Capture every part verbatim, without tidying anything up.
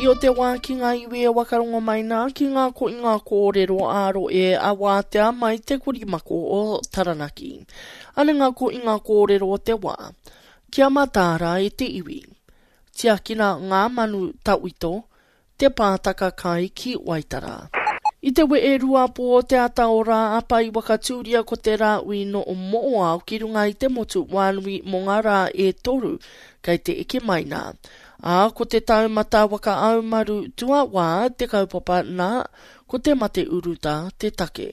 mi'i o te wā ki ngā iwi e wakarongo mai nā ki ngā koinga kōrero ā-roe a wātea mai te korimako o Taranaki. Ane ngā koinga kōrero o te wā. Kia mataara e te iwi. Tiakina ngā manu tawhito, te pātaka kai ki Waitara. I te wee rua pō o te ata o rā apa i wakatūria ko te rāui no o Mo'oao ki runga i te motu wānui mō ngā rā e toru kei te eke mai nā. Ā, ko te taumata waka aumaru tuawā te kaupapa nā, ko te mate urutā te take.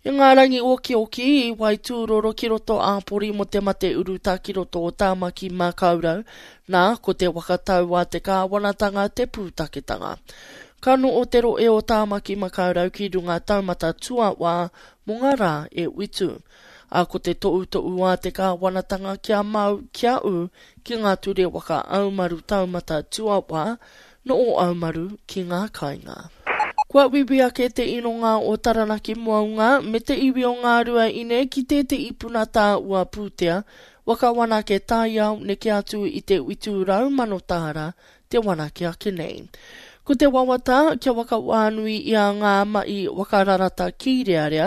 I ngā rangi okioki i Waitūroro ki roto āpori mō te mate urutā ki roto o Tāmaki Makaurau, nā, ko te waka tau a te kāwanatanga te pūtaketanga. Ka no'o te roe o Tāmaki Makaurau ki runga taumata tuawā mō ngā rā e witu. A ko te to'uto'u a te kāwanatanga kia mau, kia ū ki ngā ture waka aumaru taumata tuawā, no'o aumaru ki ngā kāinga. Kua wiwi ake te inonga o Taranaki Mounga me te iwi o Ngā Rua Ine ki tētehi puna tāua pūtea, waka wanake taiao neke atu i te witu rau mano tāra te wanake ake nei. Ko te wawata kia waka wānui i a ngā mahi wakararata kīrearea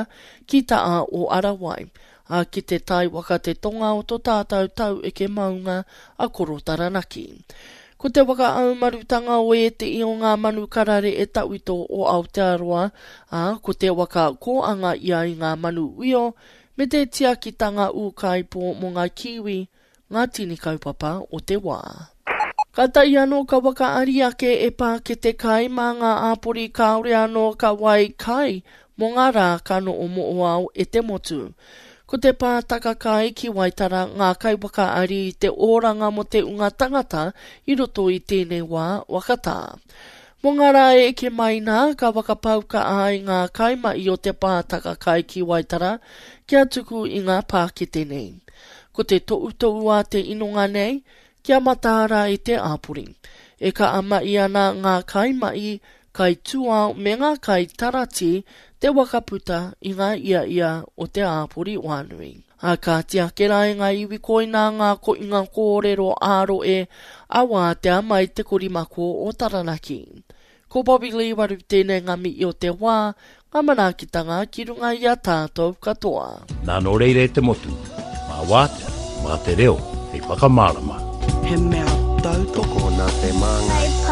ki taa o Arawai, a ki te tai waka te tonga o tō tātou tau eke maunga a Koro Taranaki. Ko te waka aumarutanga o ētehi o ngā manu karare e tawhito o Aotearoa, ā, ko te waka kōanga ia i ngā manu uio, me te tiakitanga ūkaipō mō ngā kiwi, ngā tini kaupapa o te wā. Ka tai anō ka waka ari ake e pākete kai mā ngā āpori kāore anō ka wai kai mō ngā rā ka no'o mo'oao e te motu. Ko te pātaka kai ki Waitara ngā kai waka ari i te oranga mō te unga tangata i roto i tēnei wā wakatā. Mō ngā rā e eke mai nā, ka wakapauka ai ngā kaimai o te pātaka kai ki Waitara kia tuku i ngā pākete nei. Ko te to'uto'u a te inonga nei, kia mataara i te āpori. E ka amai ana ngā kaimai, kai tūao me ngā kai tarati te wakaputa i ngā ia ia o te āpori wānui. A ka tiake rā e ngā iwi koina ngā koinga kōrero ā-roe a wātea mai te korimako o Taranaki. Ko Bobby Lee waru tēnei ngā mi'i o te wā, ngā manaakitanga ki runga i a tātou katoa. Nā nō reira e te motu, mā wātea, mā te reo, hei whakamārama. He mea tautoko Tokona te māngai.